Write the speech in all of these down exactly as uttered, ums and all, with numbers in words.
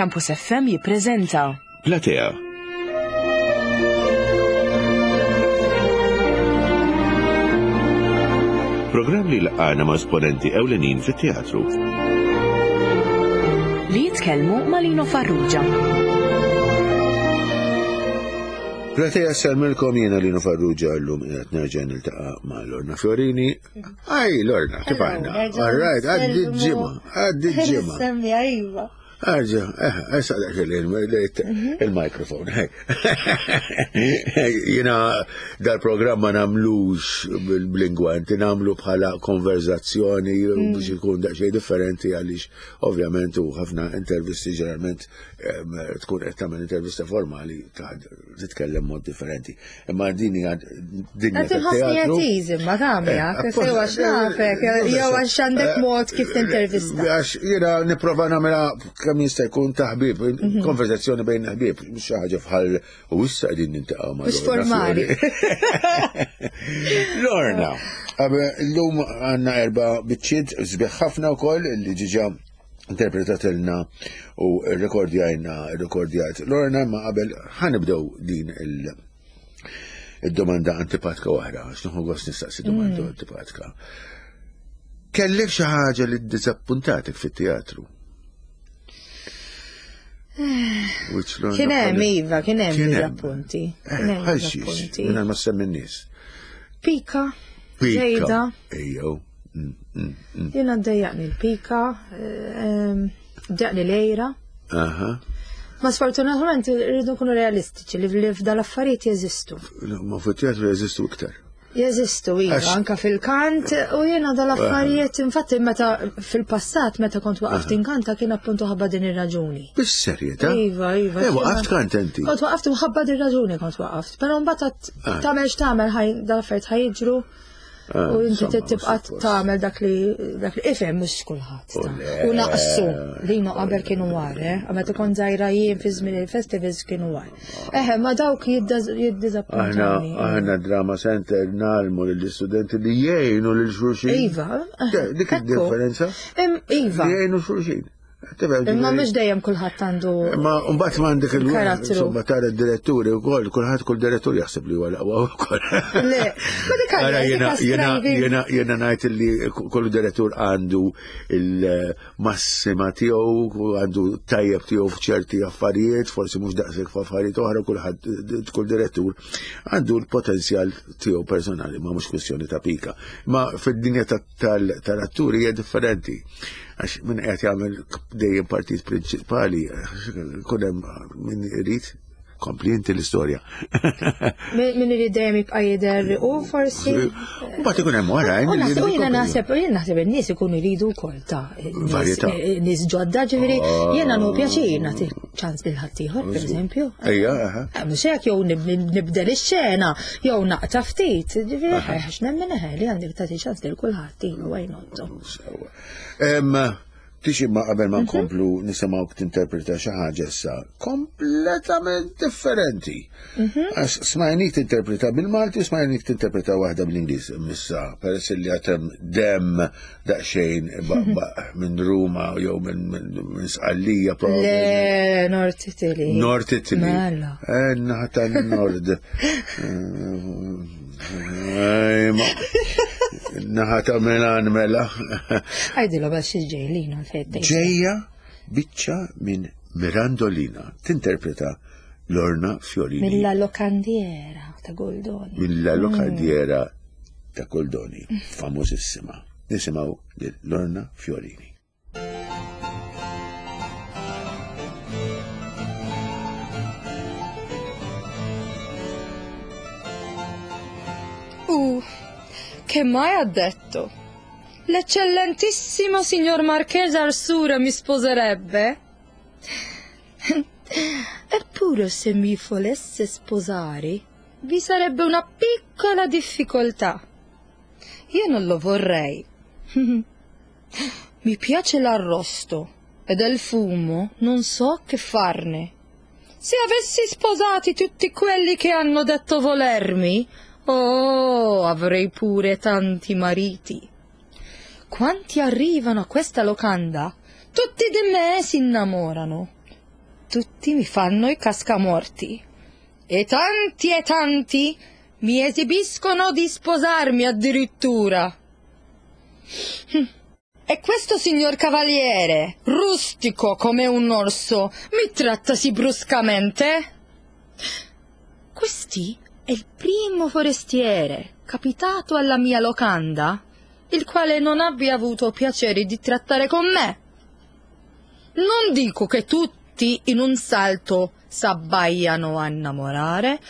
Campus F M jippreżenta Platea. Programm li jlaqqagħna ma' esponenti ewlenin fit-teatru. Li jitkellmu ma' Lino Farrugia. Platea nsellmilkom, jiena Lino Farrugia, llum qiegħed nerġa' niltaqa' ma' Lorna Fiorini. Aj, Lorna, kif aħna? All right, għaddi ġimgħa, għaddi ġimgħa. Semmi, iva. Arġa, eh, issa dak il-mikrofon. Jiena dal-programm ma nagħmlux bil-lingwanti, nagħmlu bħala konverzazzjoni biex ikun daqsxejn differenti, għaliex ovvjament u ħafna intervisti ġeneralment tkun qed tagħmel intervista formali, titkellem mod differenti. Imma din hija dinja Qed inħossni tat-teatru. at ease imma tagħmel, Eh, sew għax nafek, jew għax għandek mod kif tintervista. Għax jiena nipprova nagħmilha kemm jista' jkun ta' ħbieb, konversazzjoni bejn ħbieb, mhux xi ħaġa bħal u issa qegħdin niltaqgħu ma' Mhux Lorna formali. Fiori. Lorna, llum għandna erba' biċċiet sbieħ ħafna wkoll li diġà interpretatilna u rekordjajna rekordjat Lorna, ma qabel ħa nibdew din il- id-domanda antipatika oħra, għax nieħu gost nistaqsi domanda antipatika. Kellek xi ħaġa li ddisappuntatek fit-teatru? Which Lorna Kien hemm, bħal- iva, kien hemm Kien hemm. diżappunti. Eh, Kien hemm bħal xiex, diżappunti. mingħajr ma ssemmi n-nies. Pika. Pika. Żejda. Ejjew. Mm, mm, mm. Jiena ddejjaqni l-pika, ehm, ddejjaqni l-għira. Aha. Ma sfortunatament irridu nkunu realistiċi li li f'dal-affarijiet jeżistu. Ma fit-teatru jeżistu iktar. Jeżistu, iva, Għax- anka fil-kant, u jiena dal-affarijiet, infatti meta fil-passat, meta kont waqaft inkanta, kien appuntu ħabba din ir-raġuni. Bis-serjetà? Iva, iva. Eh, waqaft kant inti? Kont waqaft u ħabba din raġuni kont waqaft. Però mbagħad Ah. tagħmel x'tagħmel, ħaj dal-affarijiet ħa jiġru Ah, u inti insomma, tibqa' suppost. tagħmel dak li dak li ifhem mhux kulħadd. U ta' le. U naqsu li no qabel kienu war, eh? Meta kont żgħira jien fi żmien il-festivals kienu war. Eħe, ma dawk Aħna, jiddiżappuntawni. Aħna Drama Center ngħallmu lill-istudenti li jgħinu lil xulxin. Iva, Dik ekku. id-differenza. Im- Iva, Li jgħinu xulxin. Tifhem, imma ġifieri- mhux dejjem kulħadd għandu Ma mbagħad ma għandek il Karattru. Insomma, tara d-diretturi wkoll, kulħadd, kull direttur jaħseb li huwa l-aqwa wkoll. Le, ma dik Ara, għalja, jiena dik jiena striving. jiena jiena ngħid li kull direttur għandu il-massima tiegħu, għandu tajjeb tiegħu f'ċerti affarijiet, forsi mhux daqshekk f'affarijiet oħra, kulħadd, kull direttur għandu l-potenzjal tiegħu personali, ma mhux kwestjoni ta' pika. Ma fid-dinja ta- tal- tal-atturi hija differenti. Għax min qed jagħmel dejjem partit prinċipali, kun hemm min irid kompli inti l-istorja. Min min irid dejjem jibqa' jidher u forsi. Mbagħad ikun hemm oħrajn U li naħseb, u jridu jiena jkomplu. naħseb, u jiena naħseb in-nies ikunu jridu wkoll ta' nies- Varjetà. nies ġodda, ġifieri jiena nieħu pjaċir nagħti ċans lil ħaddieħor, pereżempju. Ejja, aha. Eh, mhux hekk, jew nib- nibdel ix-xena, jew naqta' ftit, ġifieri għax nemmen eħe li għandek tagħti ċans lil kulħadd, iva, why not? Sewwa. Em, Tixi ma qabel ma nkomplu nisimgħu tinterpreta xi ħaġa issa kompletament differenti. Għax smajnik tinterpreta bil-Malti u smajnik tinterpreta waħda bl-Ingliż. Missa, peress li għatem dem daqsxejn baqbaq minn Ruma jew minn minn- minn Sqallija probably. Le, North Italy. North Italy. Mela. Eh, naħa tan-Nord. Eh, ma- Naħa ta' Milan mela. Għajdilhom biex ġejlina fejn. Ġejja biċċa minn Mirandolina. Tinterpreta Lorna Fiorini. Milla Locandiera ta' Goldoni. Milla Locandiera ta' Goldoni. Famosissima. Nisimgħu lil Lorna Fiorini. Uh, che mai ha detto? L'eccellentissimo signor Marchese Arsura mi sposerebbe? Eppure se mi volesse sposare, vi sarebbe una piccola difficoltà. Io non lo vorrei. Mi piace l'arrosto e del fumo non so che farne. Se avessi sposati tutti quelli che hanno detto volermi, oh, avrei pure tanti mariti. Quanti arrivano a questa locanda, tutti di me si innamorano. tutti mi fanno i cascamorti. E tanti e tanti mi esibiscono di sposarmi addirittura. E questo signor cavaliere, rustico come un orso, mi tratta sì bruscamente? Questi è il primo forestiere capitato alla mia locanda, il quale non abbia avuto piacere di trattare con me. Non dico che tutti in un salto s'abbaiano a innamorare,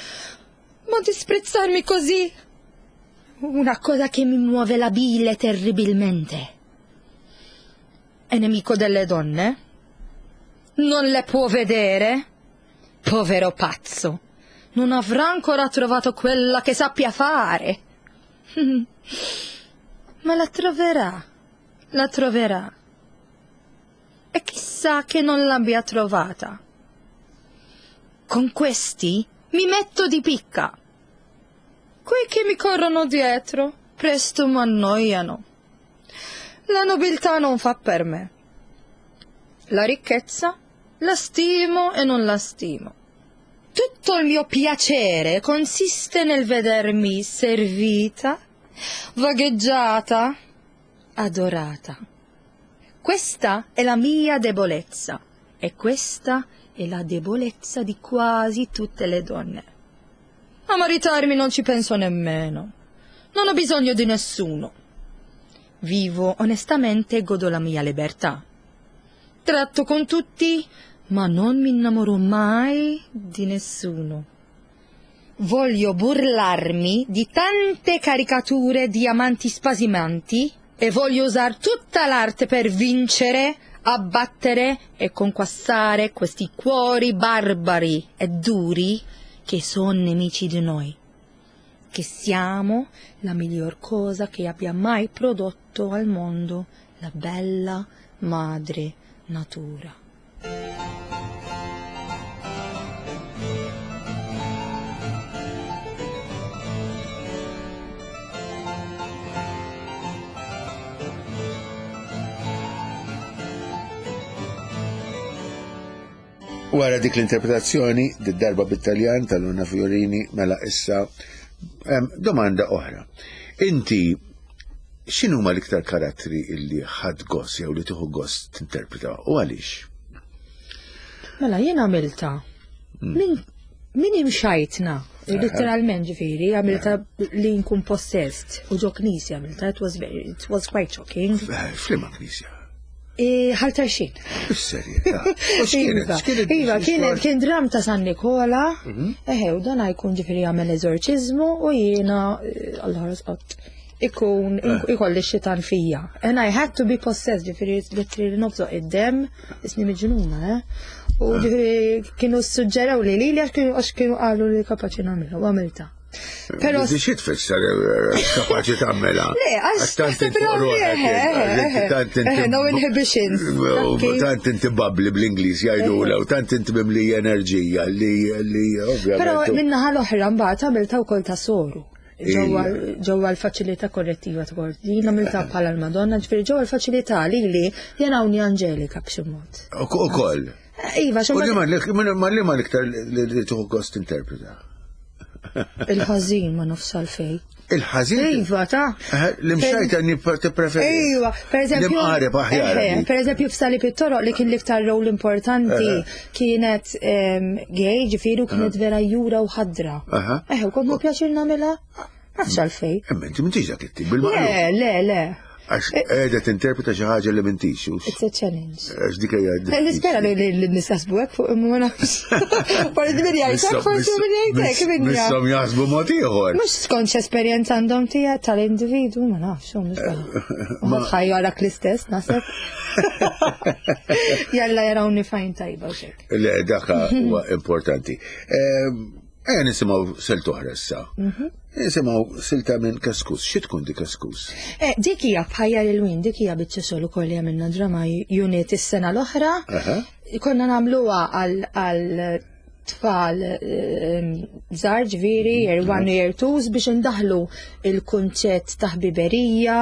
ma disprezzarmi così, una cosa che mi muove la bile terribilmente. È nemico delle donne? Non le può vedere? Povero pazzo, non avrà ancora trovato quella che sappia fare. Ma la troverà, la troverà. E chissà che non l'abbia trovata. Con questi mi metto di picca. Quei che mi corrono dietro presto m'annoiano. La nobiltà non fa per me. La ricchezza la stimo e non la stimo. Tutto il mio piacere consiste nel vedermi servita, vagheggiata, adorata. Questa è la mia debolezza e questa è la debolezza di quasi tutte le donne. A maritarmi non ci penso nemmeno. Non ho bisogno di nessuno. Vivo onestamente e godo la mia libertà. Tratto con tutti, ma non mi innamoro mai di nessuno. Voglio burlarmi di tante caricature di amanti spasimanti e voglio usar tutta l'arte per vincere, abbattere e conquistare questi cuori barbari e duri che sono nemici di noi, che siamo la miglior cosa che abbia mai prodotto al mondo la bella madre natura. Wara dik l-interpretazzjoni, d-darba bit-Taljan tal-Lorna Fiorini, mela issa domanda oħra. Inti, x'inhuma l-iktar karattri illi ħadd gost jew li tieħu gost tinterpreta u għaliex? Mela jien għamilta. Min min imxajtna, literalment ġifieri, għamilta li nkun possessed u ġo knisja għamilta, it was very, it was quite shocking. F'liema knisja? Ħal Tarxien. Is-serjetà. X'kienet? Iva, kienet kien dram ta' San Nikola, eħe, u dan jkun ġifieri jagħmel eżorċiżmu u jiena Allah ħares ikun ikolli xitan fija. And I had to be possessed, ġifieri literally nobżoq id-dem, isni miġnuna, eh. U ġifieri kienu suġġeraw li lili għax kienu qalu li kapaċi nagħmilha u għamilta. Pero xi tfisser kapaċi tagħmilha? Le, għax tant inti tant inti no inhibitions. Tant inti bubbly bl-Ingliż jgħidula u tant inti mimlija enerġija li li ovvjament. Però min-naħa l-oħra mbagħad għamilta wkoll ta' soru. Ġewwa l-faċilità korrettiva ta' Kordin, għamilta bħala l-Madonna, ġifieri ġewwa l-faċilità lili jenawni Anġelika b'xi mod. Ukoll. Iva, xi Ma li ma l-iktar li tieħu gost interpreta? Il-ħażin ma nafx għalfejn. Il-ħażin? Iva, ta' L-imxajta tippreferi. Iva, per eżempju. L-imqareb aħjar. Per eżempju, f'Salib it-Toroq li kien l-iktar rol importanti kienet gay, ġifieri, u kienet vera jura u ħadra. Eħe, u kont pjaċir nagħmilha? Nafx għalfejn. Imma inti m'intix dak it-tip bil-maqlub. Le, le, le. Għax qiegħda tinterpreta xi ħaġa li m'intix. It's a challenge. Għax dik hija. Nispera li n-nies jaħsbu hekk fuq imma ma nafx. Forsi min jgħid forsi min jgħid hekk min Misshom jaħsbu mod ieħor. Mhux skont x'esperjenza għandhom tiegħek tal-individwu, ma nafx, mhux Ma ħajjarak l-istess, naħseb. Jalla jarawni fajn tajba u xek. Le, dak huwa importanti. Ejja nisimgħu silta oħra issa. Nisimgħu silta minn Kaskus. Xi tkun di Kaskus? Eh, dik hija bħajja lil win, dik hija biċċa xogħol ukoll li għamilna drama unit is-sena l-oħra. Konna nagħmluha għal tfal żgħar ġifieri, year one u year twos biex indaħlu il-kunċett ta' ħbiberija,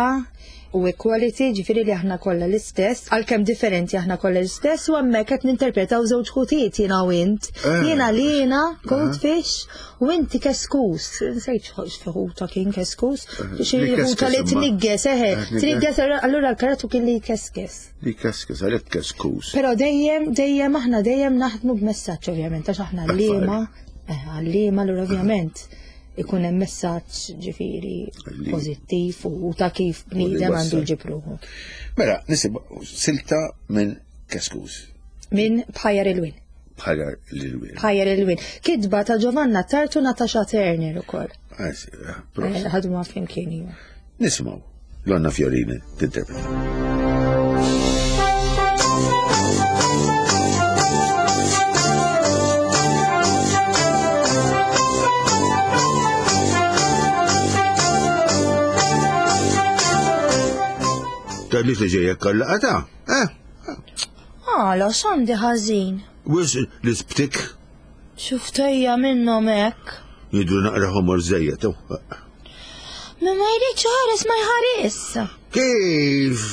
u equality, ġifieri li aħna kollha l-istess, għalkemm differenti aħna kollha l-istess, u hemmhekk qed ninterpretaw żewġ ħutiet jiena u int. Eh. Jiena Lina, Goldfish, u inti Keskus. Nsejt x'ħuta kien Keskus. Xi Li ħuta li keskes imma. tnigges, eħe, Eh, tnigges. tnigges, allura l-karattru kien li jkeskes. Li keskes, għalhekk keskus. Però dejjem, dejjem aħna dejjem naħdmu b'messaġġ ovvjament, għax aħna għalliema, eh, għalliema allura ovvjament ikun hemm messaġġ ġifieri Li- pożittiv u ta' kif bniedem għandu wassal. jġib ruħu. Mela, nisimgħu silta minn Keskus Min Bħajjar il-Win. bħala l-wien. Bħajjar il-Win. Kitba ta' Giovanna Tartu Natasha Turner ukoll. Ah, Eh, Ħadmu flimkien iva. Nisimgħu Lorna Fiorini tinterpreta. Tgħidlix li ġejjek kallaqata, eh? Għala, x'għandi ħażin? Wis l-isptik Xuftejja minnhom hekk. jidru naqra ħomor żejjed. Ma ma jridx ħares ma jħares. Kif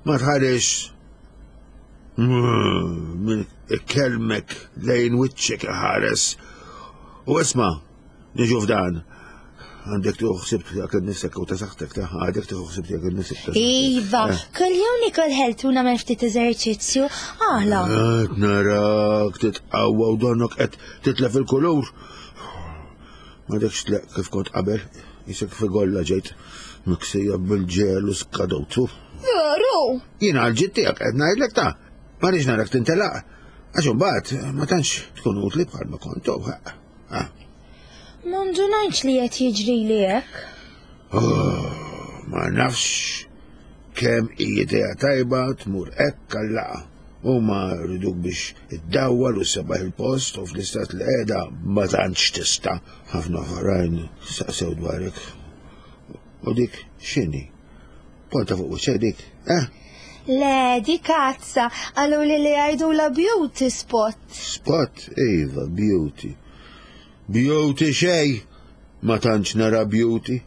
ma tħares minn ikkelmek lejn wiċċek ħares. U isma, niġu f'dan. Għandek tieħu ħsieb tiegħek innifsek u ta' saħħtek ta' għandek tieħu ħsieb tiegħek innifsek ta' saħħtek. Iva, kull-jum nikol ħeltu nagħmel ftit eżerċizzju. Għala, Qed narak titqawwa u donnok qed titlef il-kulur. M'għadekx tleq kif kont qabel, jisek figolla ġejt miksija bil-ġel u skadotu. veru. Jiena għal-ġid tiegħek qed ngħidlek ta' ma rridx narak tintelaq. Għax imbagħad ma tantx tkun utli bħal ma kont. Ah. Ma ndunajtx li qed jiġri li hekk. Oh, ma nafx kemm hi idea tajba tmur hekk għal-laqa. Huma rriduk biex iddawwal u ssebaħ il-post u fl-istat li qiegħda ma tantx tista'. Ħafna oħrajn saqsew dwarek. U dik x'inhi? Ponta fuq wiċċek dik, eh? Le, di kazza, għalu li li għajdu la beauty spot. Spot, iva, beauty. Beauty xej, ma tantx nara beauty.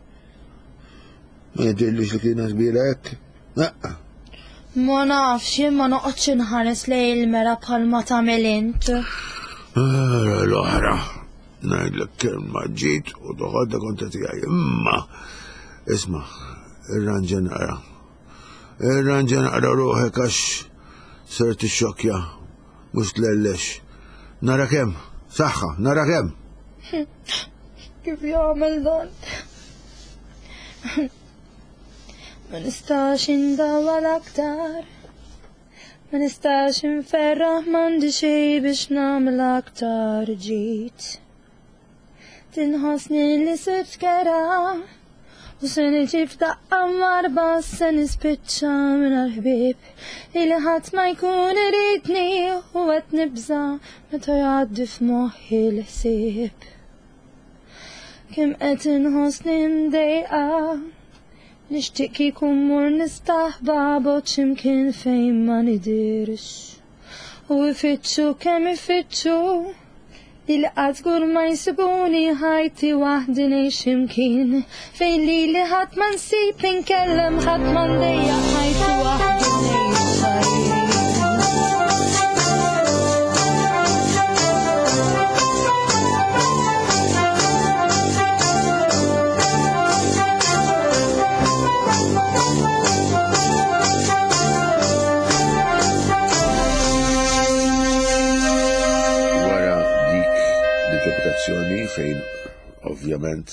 Ma jidhirlix li kienet kbira hekk. Naqqa. Ma nafx, jien ma noqgħodx inħares lejn il-mera bħalma tagħmel int. Ara l-oħra. Ngħidlek kelma ġiet u toħodha kontra tiegħi. Imma isma' irranġa naqra. Irranġa naqra ruħek għax ser tixxokkja mhux tlellex. Nara kemm, saħħa, nara kemm. Kif jagħmel dan? Ma nistax indawwal aktar. Ma nistax inferraħ m'għandi xejn biex nagħmel aktar ġid. Tinħossni li sibt kera u se niġi f'daqqa marba se nispiċċa mingħajr ħbieb Ili ħadd ma jkun iridni u qed nibża' meta jgħaddi f'moħħi l-ħsieb. Kemm qed inħossni mdejqa nixtieq kieku mmur nistaħba bogħod x'imkien fejn ma nidirx. U ifittxu kemm ifittxu li qatt żgur ma jsibuni ħajti waħdi ngħix x'imkien fejn lili ħadd ma nsib inkellem ħadd ma ndejjaq ħajti waħdi ngħix ħajti. Wara dik l-interpretazzjoni fejn ovvjament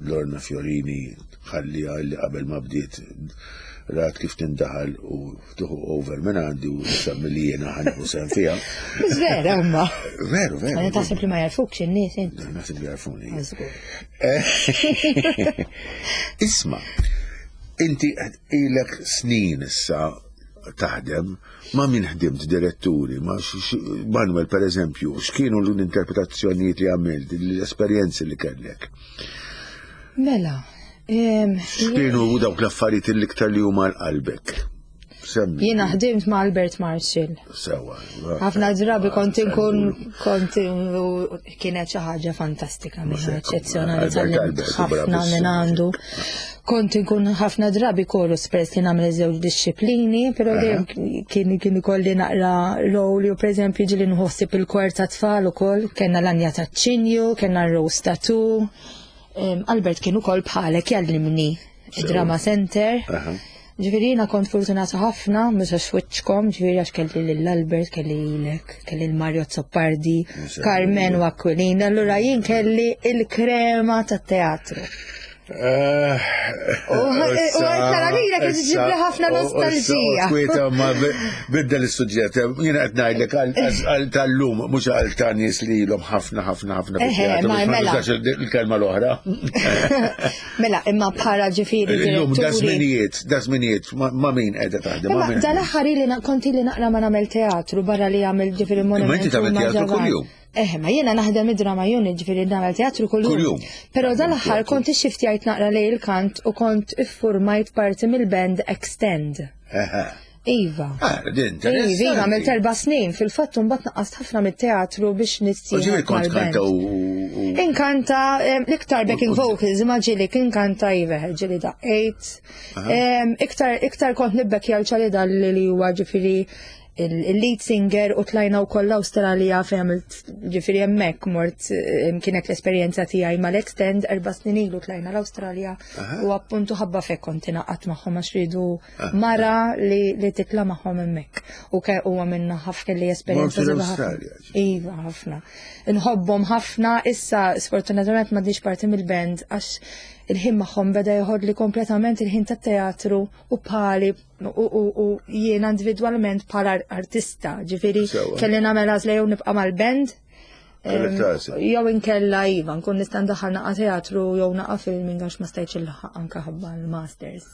Lorna Fiorini ħallija li qabel ma bdiet rat kif tindaħal u tieħu over minn għandi u semmi li jiena ħanieħu sehem fiha. Vera, imma. Veru, veru. Għana taħseb li ma jarfukx in-nies int. Naħseb li jarfuni. Żgur. Isma, inti ilek snin issa taħdem ma' min ħdimt diretturi, ma' x- x- Manuel per eżempju, x'kienu l-interpretazzjonijiet li għamilt, l-esperjenzi li kellek? Mela, em, X'kienu dawk l-affarijiet l-iktar li huma l-qalbek? Semmi. jiena ħdimt ma' Albert Marshall. Sewa. Ħafna drabi kont inkun kont u kienet xi ħaġa fantastika minn Mhux hekk, eċċezzjonali Albert, tgħallimt Albert, ħafna bravissimo. minn għandu. Kont inkun ħafna drabi chorus peress li nagħmel żewġ disċiplini, però dejjem kien kien ikolli naqra role u pereżempju ġieli nħossib il-kor ta' tfal ukoll, kellna l-anja ta' ċinju, kellna r-rose tattoo. Albert kien ukoll bħalek jgħallimni drama center. Ġifieri jiena kont fortunata ħafna, mhux għax wiċċkom, ġifieri għax kelli lil Albert, kelli lilek, kelli l-Mario Zoppardi, Carmen u Aquilina, allura jien kelli il-krema tat-teatru. U tara lilek iġġibli ħafna nostalġija. Kwieta ma biddel is-suġġett. Jiena qed ngħidlek għal tal-lum mhux għal ta' nies li ilhom ħafna ħafna ħafna mela. Il-kelma l-oħra. Mela, imma bħala ġifieri. Illum da żminijiet, da żminijiet ma' min qiegħda taħdem. Imma dal-aħħar ili kont ili naqra ma nagħmel teatru barra li għamel ġifieri monument. Ma inti tagħmel teatru kuljum. Eh, ma jiena naħdem id-drama unit, ġifieri nagħmel teatru kuljum. Però dal-aħħar kont ixxiftjajt naqra lejn il-kant u kont iffurmajt parti mill-band Extend. Iva. Ah, din, Iva, għamilt erba' snin, fil-fatt mbagħad naqqast ħafna mit-teatru biex U ġifieri kont kanta u. Inkanta l-iktar backing vocals, imma ġieli inkanta iva, ġieli daqqejt. Iktar iktar kont nibbekkja l-ċali li huwa ġifieri il-lead singer u tlajna u koll l-Awstralja fejn għamilt ġifieri hemmhekk mort kienet l-esperjenza tiegħi mal-Extend erba' snin ilu tlajna l-Awstralja u appuntu ħabba fek kont ingħaqadt magħhom għax ridu mara li, li titla' magħhom hemmhekk. U ke huwa minna ħafna li esperjenza Mortu l-Awstralja, Iva, ħafna. Nħobbhom ħafna, issa sfortunatament m'għandix parti mill-band għax il-ħin magħhom beda joħodli kompletament il-ħin tat-teatru u bħali u, u, u jiena individwalment bħala artista, ġifieri kelli nagħmel għażla jew nibqa' mal-band. Jew inkella iva, nkun nista' ndaħħal naqa' teatru jew naqa' filming għax ma stajtx il-ħaq anke ħabba l-masters.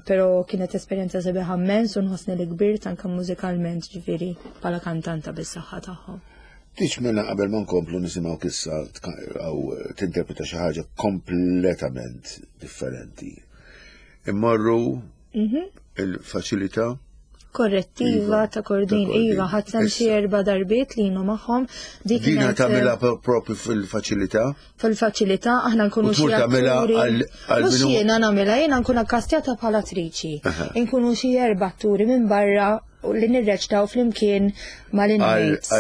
Però kienet esperjenza sabiħa immens u nħossni li kbirt anke mużikalment ġifieri bħala kantanta bis-saħħa tagħhom. Tiċ mela qabel ma nkomplu nisimgħu issa għaw tinterpreta xi ħaġa kompletament differenti. Immorru il-faċilità korrettiva ta' Kordin, iva, ħadd sem xi erba' darbiet li jienu magħhom. Dik Dina tagħmilha propju fil-faċilità? Fil-faċilità aħna nkunu xi atturi. Mhux jiena nagħmilha, jiena nkun akkastjata bħala attriċi. Inkunu xi erba' atturi minn barra li nirreċtaw flimkien mal-inmates.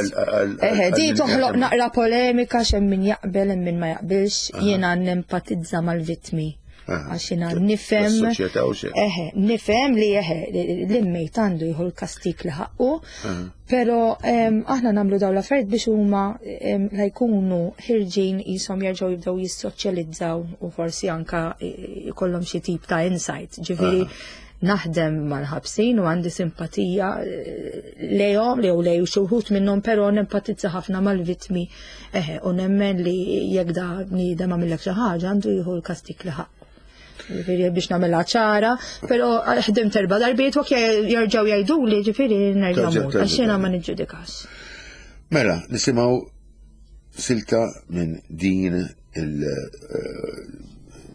Eħe, di toħloq naqra polemika x'hemm min jaqbel hemm min ma jaqbilx, jiena nempatizza mal-vittmi. Għax jiena nifhem. Eħe, nifhem li eħe, l-inmate għandu jieħu l-kastik li ħaqqu, però aħna nagħmlu dawn l-affarijiet biex huma la jkunu ħirġin qishom jerġgħu jibdew jissoċjalizzaw u forsi anka jkollhom xi tip ta' insight. Ġifieri naħdem mal-ħabsin u għandi simpatija lejhom jew lej xi wħud minnhom, però nempatizza ħafna mal-vittmi eħe u nemmen li jekk da bniedem għamillek xi ħaġa għandu jieħu l-kastik li ħaqqu. Ġifieri biex nagħmilha ċara, però ħdimt erba' darbiet u jerġgħu jgħiduli ġifieri nerġa' mmur għax jiena ma niġġudikax. Mela, nisimgħu silta minn din il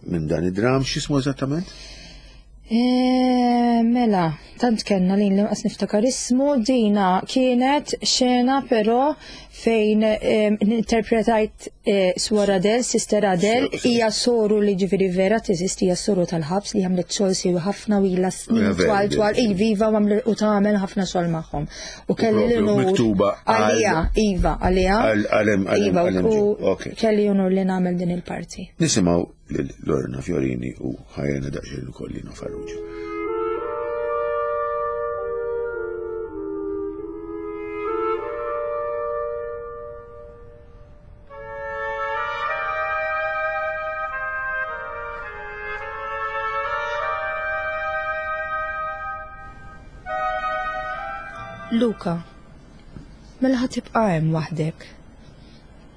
minn dan id-dram, x'ismu eżattament? Mela, tant kellna li nqas niftakar ismu, dina kienet xena però fejn interpretajt Swor Adele, Sister Adele, hija soru li ġifieri vera teżisti, hija soru tal-ħabs li għamlet xogħol siewi ħafna u ilha snin twal twal, iva u tagħmel ħafna xogħol magħhom. U kelli l-unur għalija, iva, għalija. Iva, u kelli unur li nagħmel din il-parti. Nisimgħu lil Lorna Fiorini u ħajjena daqsxejn ukoll Lino Farrugia. Luca, mela ħa tibqa' hemm waħdek.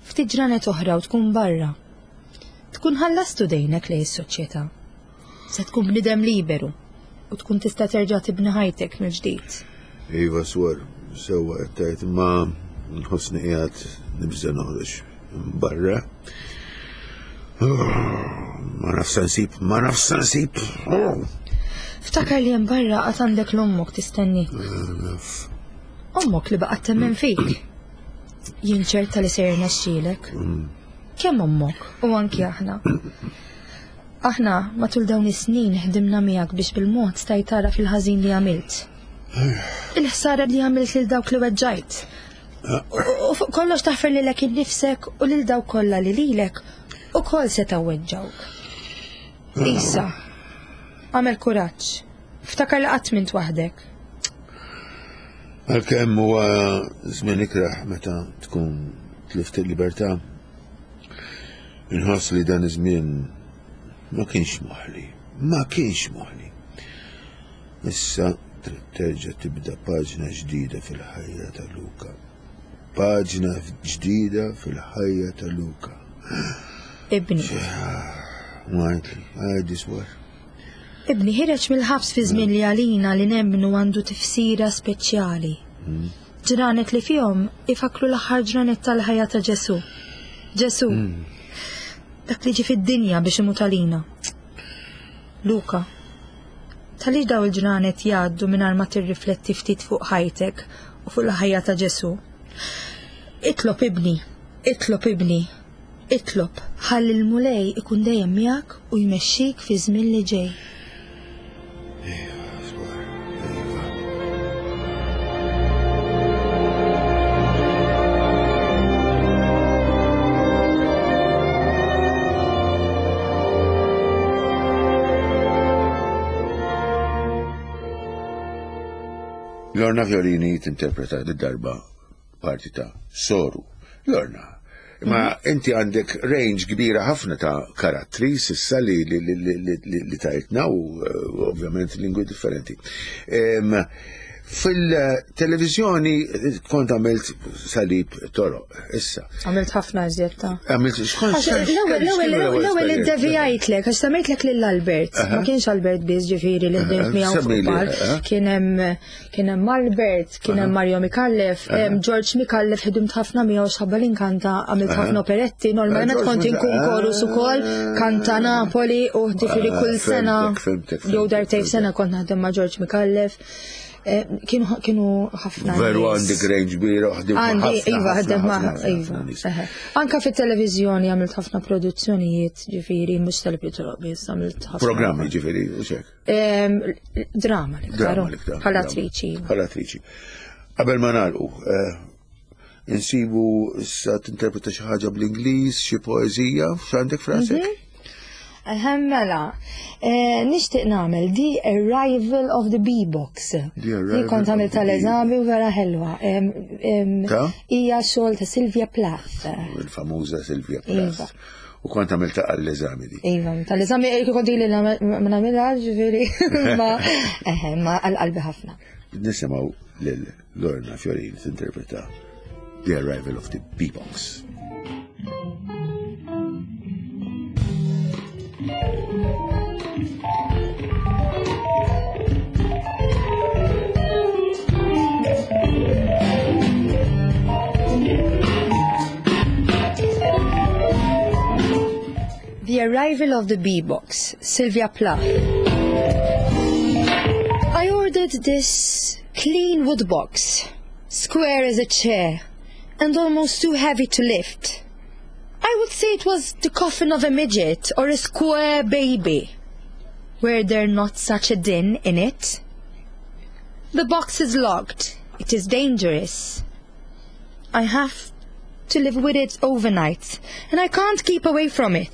Ftit ġranet oħra u tkun barra. Tkun ħallastu dejnek lejn is-soċjetà. Se tkun bniedem liberu u tkun tista' terġa' tibni ħajtek mill-ġdid. Iva swor, sewwa qed tgħid imma nħossni qiegħed nibża' noħroġ barra. Ma nafx se nsib, ma nafx se nsib. Ftakar li hemm barra qatt għandek l-ommok tistennik. Naf. Ommok li baqgħet temmen fik. Jien ċerta li se jirnexxielek. Kemm ommok u anki aħna. Aħna matul dawn is-snin ħdimna miegħek biex bil-mod stajt tara fil-ħażin li għamilt. Il-ħsara li għamilt lil dawk li weġġajt. U fuq kollox taħfer lilek innifsek u lil dawk kollha li lilek ukoll setgħu weġġawk. Issa, għamel kuraġġ. Ftakar li qatt m'int waħdek. Għalkemm huwa żmien ikrah meta tkun tlift il-libertà, inħoss li dan iż-żmien ma kienx moħli, ma kienx moħli. Issa trid terġa' tibda paġna ġdida fil-ħajja ta' Luka. Paġna ġdida fil-ħajja ta' Luka. Ibni. Għajtli, għajdi swar. Ibni ħireġ mill-ħabs fi żmien li għalina li nemmnu għandu tifsira speċjali. Ġranet li fihom ifakru l-aħħar ġranet tal-ħajja ta' Ġesu. Ġesu, dak li ġie fid-dinja biex imut għalina. Luka, talli daw il-ġranet jgħaddu mingħajr ma tirrifletti ftit fuq ħajtek u fuq il-ħajja ta' Ġesu. Itlob ibni, itlob ibni, itlob, ħalli l-Mulej ikun dejjem miegħek u jmexxik fi żmien li ġej. Iva, swar, iva. Lorna Fiorini tinterpreta d-darba parti ta' Soru. Lorna, ma inti għandek range kbira ħafna ta' karattri sissa li, li, li, li, li, li, li tajtna u eh, ovvjament lingwi differenti. Em, Fil-televizjoni kont għamilt Salib Toroq, issa. Għamilt ħafna iżjed ta' Għamilt, xkont Għax L-ewwel l-ewwel iddevijajtlek, għax semmejtlek lil Albert. Ma kienx Albert biss ġifieri li ħdimt miegħu fuq Semmili, palk. aha. Kien hemm kien hemm Albert, kien hemm Mario Micallef, hemm George Micallef ħdimt ħafna miegħu x'ħabba li nkanta għamilt ħafna operetti, normalment George kont inkun Mica- chorus ukoll, kanta Napoli u ġifieri Ah, kull sena fhimtek, fhimtek, jew darbtejn fhimtek. sena kont naħdem ma' George Micallef. Eh, Kienu kienu ħafna Veru nies. għandek range kbira, ħdimt ma' Għandi, ħafna, iva, ħafna, ħdem ma' ħafna, iva. ħafna nies. eħe. Anka fit-televizjoni għamilt ħafna produzzjonijiet, ġifieri, mhux tal-Pietro biss, għamilt ħafna. Programmi ġifieri, u xek. Em, Drama l-iktar. Drama l-iktar. Bħala attriċi. Bħala attriċi. Qabel ma nagħlqu, eh, insibu issa tinterpreta xi ħaġa bl-Ingliż, xi poeżija, x'għandek f'rasek? Eħe, mela, eh, nixtieq nagħmel The Arrival of the Bee-Box. The Arrival Li kont of għamilt the tal-eżami u vera ħelwa. Em, em, Ta' Hija xogħol ta' Sylvia Plath. Il-famuża Silvia Iva. Plath. U kont għamilta għall-eżami di. Iva, tal-eżami kont ili ma nagħmilha, ġifieri, ma eħe, ma għal-qalbi ħafna. Nisimgħu lil Lorna Fiorini tinterpreta The Arrival of the Bee-Box. The Arrival of the Bee-Box, Sylvia Plath. I ordered this clean wood box, square as a chair, and almost too heavy to lift. I would say it was the coffin of a midget or a square baby. Were there not such a din in it? The box is locked. It is dangerous. I have to live with it overnight, and I can't keep away from it.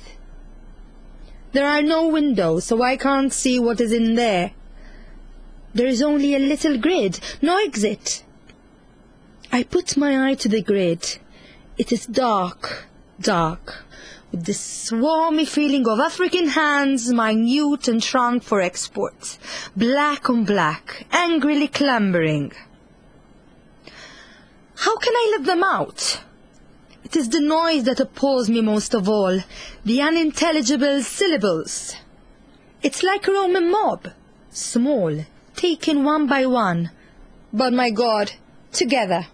There are no windows, so I can't see what is in there. There is only a little grid, no exit. I put my eye to the grid. It is dark, dark, with this swarmy feeling of African hands, minute and shrunk for export, black on black, angrily clambering. How can I let them out? It is the noise that appalls me most of all, the unintelligible syllables. It's like a Roman mob, small, taken one by one, but my God, together.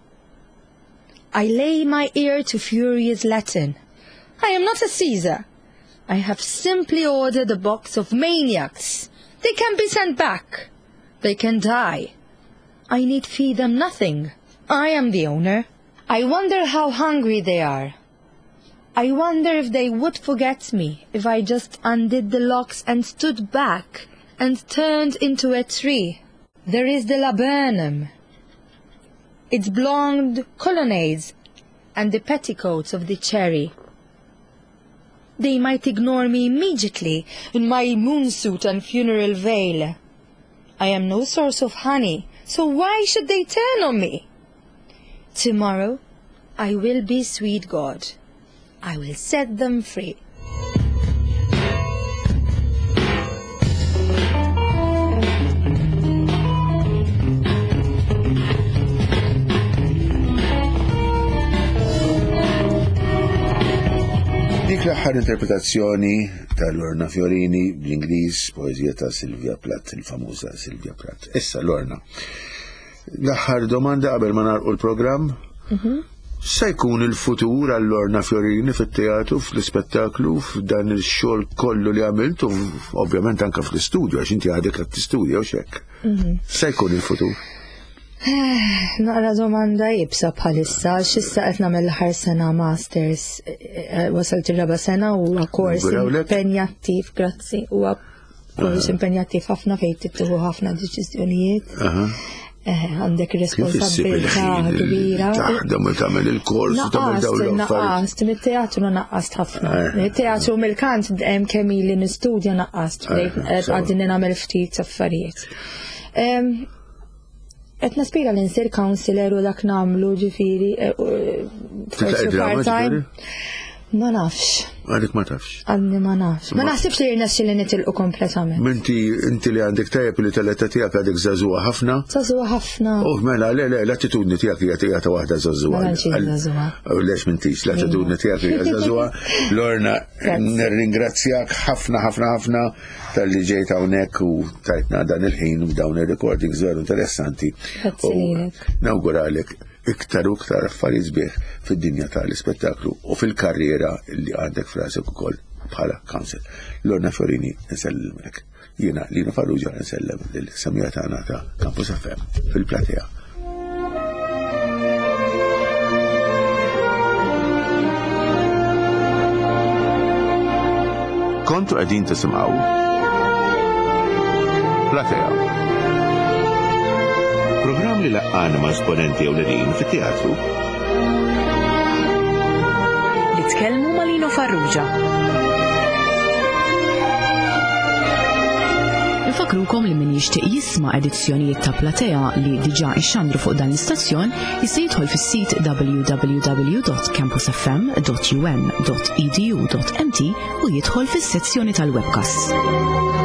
I lay my ear to furious Latin. I am not a Caesar. I have simply ordered a box of maniacs. They can be sent back. They can die. I need feed them nothing. I am the owner. I wonder how hungry they are. I wonder if they would forget me if I just undid the locks and stood back and turned into a tree. There is the laburnum, its blonde colonnades and the petticoats of the cherry. They might ignore me immediately in my moonsuit and funeral veil. I am no source of honey, so why should they turn on me? Tomorrow I will be sweet God. I will set them free. Dik l-aħħar interpretazzjoni ta' Lorna Fiorini bl-Ingliż, poeżija ta' Sylvia Plath, il-famuża Sylvia Plath. Issa Lorna, l-aħħar domanda qabel ma nagħlqu l-programm. Se jkun il-futur għal Lorna Fiorini fit-teatru, fl-ispettaklu, f'dan il-xogħol kollu li għamilt u ovvjament anke fl-istudju, għax inti għadek qed tistudja u xek. Se jkun il-futur? Naqra domanda iebsa bħalissa, x'issa qed nagħmel l-aħħar sena masters, eh, wasalt ir-raba' sena u huwa kors Nawgurawlek. impenjattiv, grazzi, huwa kors impenjattiv ħafna fejn tittieħu ħafna deċiżjonijiet. Aha. Eh, Għandek Kif issib responsabilità il-ħin kbira. taħdem u tagħmel il-kors u tagħmel dawn Naqqast, l-affarijiet? naqqast, mit-teatru naqqast ħafna. Eh. Mit-teatru mill-kant hemm kemm ili nistudja naqqast, bdejt Eh, sewa. għaddini nagħmel ftit affarijiet. Em, Qed naspira li nsir counselor u dak nagħmlu ġifieri eh, u- Titlaq forsi id-drama, part-time. ġifieri? Ma nafx, Għadek ma tafx. għadni ma nafx. Ma naħsibx li jirnexxi li nitilqu kompletament. Minti inti li għandek tajjeb li tal-età tiegħek għadek żagħżugħa ħafna. Żagħżugħa ħafna. Oh, mela, le, le, l-attitudni tiegħek hija tiegħek ta' waħda żagħżugħa. Ma tantx hija żagħżugħa. Oh, Lex m'intix, l-attitudni tiegħek hija żagħżugħa. Lorna, Grazzi. nirringrazzjak ħafna, ħafna, ħafna talli ġejt hawnhekk u tajtna dan il-ħin u dawn ir-recordings veru interessanti. Grazzi U lilek. Nawguralek iktar u iktar affarijiet sbieħ fid-dinja tal-ispettaklu u fil-karriera li għandek f'rasek ukoll bħala counsel. Lorna Fiorini, nsellimlek. Jiena Lino Farrugia nsellem lil-semmiegħa tagħna ta' Campus F M fil-platea. Kontu qegħdin tisimgħu Platea. Programm li laqqana ma' esponenti ewlenin fit-teatru. Li tkellmu ma' Lino Farrugia. Infakrukom li min jixtieq jisma' edizzjonijiet ta' Platea li diġà ixxandru fuq dan l-istazzjon jista' jidħol fis-sit w w w dot campusfm dot u n dot e d u dot m t u jidħol fis-sezzjoni tal-webcast.